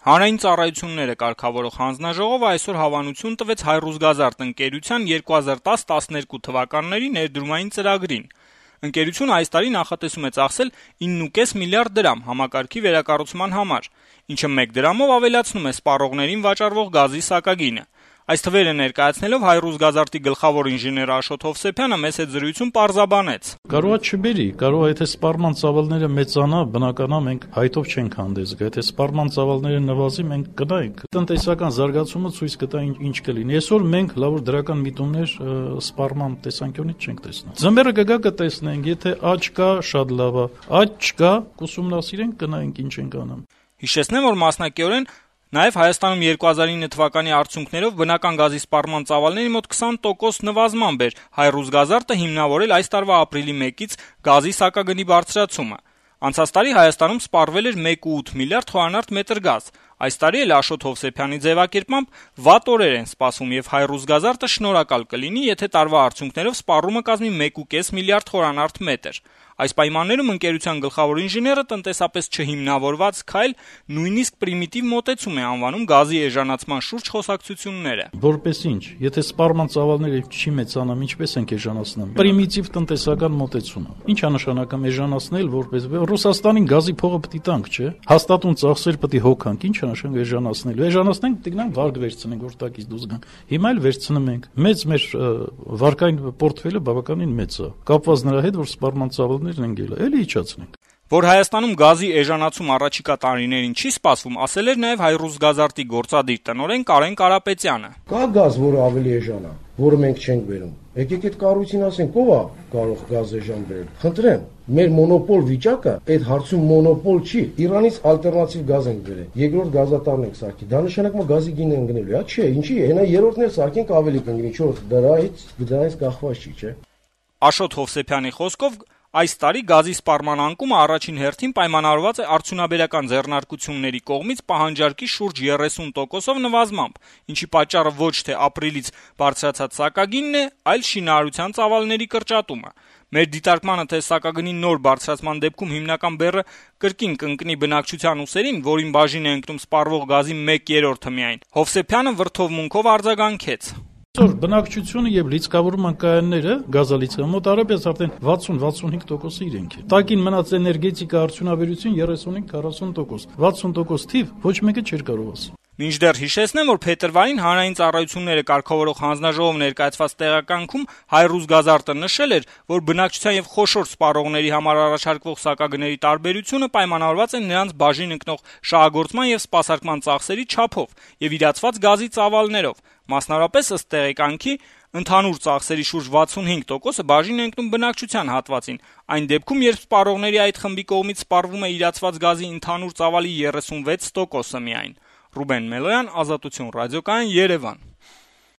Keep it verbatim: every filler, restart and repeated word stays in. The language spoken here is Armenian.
Հանրային ծառայությունները կարգավորող հանձնաժողովը այսօր հավանություն տվեց Հայրուզգազարդ ընկերության երկու հազար տաս տասներկու թվականների ներդրումային ծրագրին։ Ընկերությունը այս տարի նախատեսում է ծախսել ինը կես միլիարդ դրամ համակարգի վերակառուցման համար, ինչը մեկ դրամով ավելացնում է սպառողներին վաճառվող գազի սակագինը։ Այս թվերը ներկայացնելով Հայրուզգազարդի գլխավոր ինժեներ Աշոտ Հովսեփյանը մեծ հետ զրույցում պարզաբանեց. Կարող է չբերի, կարող է եթե սպառման ծավալները մեծանա, բնականա մենք հայտով չենք հանդես գա, եթե սպառման ծավալները նվազի, մենք կգնանք։ Տնտեսական զարգացումը ցույց կտա ինչ կլինի։ Այսօր մենք լավ դրական միտումներ սպառման տեսանկյունից չենք տեսնում։ Ձմեռը կգա կտեսնենք, եթե աճ կա, շատ լավ է, աճ չկա, կուսումնասիրենք, կնայենք ինչ ենք անում։ Հիշեցնեմ, որ մասնակիորեն Նաև Հայաստանում երկու հազար ինը թվականի արդյունքներով բնական գազի սպառման ծավալների մոտ քսան տոկոս նվազման բեր Հայրուզգազարդը հիմնավորել այս տարվա ապրիլի մեկից գազի սակագնի բարձրացումը։ Անցած տարի Հայաստանում սպառվել էր մեկ կόμma ութ միլիարդ խորանարդ մետր գազ։ Այս տարի էլ Աշոտ Հովսեփյանի ձևակերպմամբ վատ օրեր են սպասվում եւ Հայրուզգազարդը շնորհակալ կլինի, եթե տարվա արդյունքներով սպառումը կազմի մեկ կόμma պենս միլիարդ խորանարդ մետր։ Այս պայմաններում ընկերության գլխավոր ինժեները տնտեսապես չհիմնավորված քայլ նույնիսկ պրիմիտիվ մոտեցում է անվանում գազի էժանացման շուրջ խոսակցությունները։ Որպես ինչ, եթե սպառման ծավալները չի մեծանամ, ինչպես ենք էժանացնում։ Պրիմիտիվ տնտեսական մոտեցում։ Ինչ է նշանակում էժանացնել, որպես Ռուսաստանին գազի փողը պետք է տանք, չէ՞։ Հաստատուն ծախսեր պետք է հոգանք, ինչ է նշանակում էժանացնել։ Էժանացնենք, պետք է վարկ վերցնենք, որ տակից դուրս գանք։ Հիմա էլ վերցնում ենք։ Մեծ մեր վարկային պորտֆելը բավականին մեծ է։ Կապված նրա հետ, որ սպառման ծավալները Էլի իջացնենք։ Որ Հայաստանում գազի էժանացում առաջիկա տարիներին չի սպասվում, ասել էր նաև Հայրուզգազարդի գործադիր տնօրեն Կարեն Կարապետյանը։ Կա գազ, որը ավելի էժան է, որը մենք չենք բերում։ Եկեք այդ կառույցին ասենք, ով է կարող գազ էժան բերել։ Խնդրեմ, մեր մոնոպոլ վիճակը այդ հարցում մոնոպոլ չի։ Իրանից ալտերնատիվ գազ ենք բերել։ Երկրորդ գազատարն ենք սարքի։ Դա նշանակում է գազի գինը ընկնելու է, չէ, ինչի՞։ Հենա երրորդն էլ սարքենք ավելի կընկնի, չորս դրանից դրանից կախված չի, չէ։ Աշոտ Հովսեփյանի խոսքով Այս տարի գազի սպառման անկումը առաջին հերթին պայմանավորված է արդյունաբերական ձեռնարկությունների կողմից պահանջարկի շուրջ երեսուն տոկոսով նվազմամբ, ինչի պատճառը ոչ թե ապրիլից բարձրացած սակագինն է, այլ շինարարության ծավալների կրճատումը։ Մեր դիտարկմանը, թե սակագնի նոր բարձրացման դեպքում հիմնական բեռը կրկին կընկնի բնակչության ուսերին, որին բաժին է ընկնում սպառվող գազի մեկ երրորդը միայն, Հովսեփյանը վրդովմունքով արձագանքեց. Այսօր բնակչությունը եւ լիցքավորման կայանները գազալիցքը մոտարապես արդեն վաթսուն վաթսունհինգ տոկոսի իրենք է։ Տակին մնաց էներգետիկա արդյունաբերություն երեսունհինգ քառասուն տոկոս։ վաթսուն տոկոս թիվ ոչ մեկը չէր կարող ասել։ Մինչդեռ հիշեցնեմ, որ փետրվարին հանրային ծառայությունները կարգավորող հանձնաժողով ներկայացված տեղականքում Հայրուզգազարդը նշել էր, որ բնակչության եւ խոշոր սպառողների համար առաջարկվող սակագների տարբերությունը պայմանավորված է նրանց բաժին ընկնող շահագործման եւ սպասարկման ծախսերի չափով եւ իրացված գազի ծավալներով։ Մասնավորապես ըստ տեղեկանքի ընդհանուր ծախսերի շուրջ վաթսունհինգ տոկոսը բաժին է ընկնում բնակչության հատվածին։ Այն դեպքում, երբ սպառողների այդ խմբի կողմից սպառվում է իրացված գազի ընդհանուր ծավալի երեսունվեց տոկոսը միայն։ Ռուբեն Մելոյան, Ազատություն ռադիոկայան, Երևան։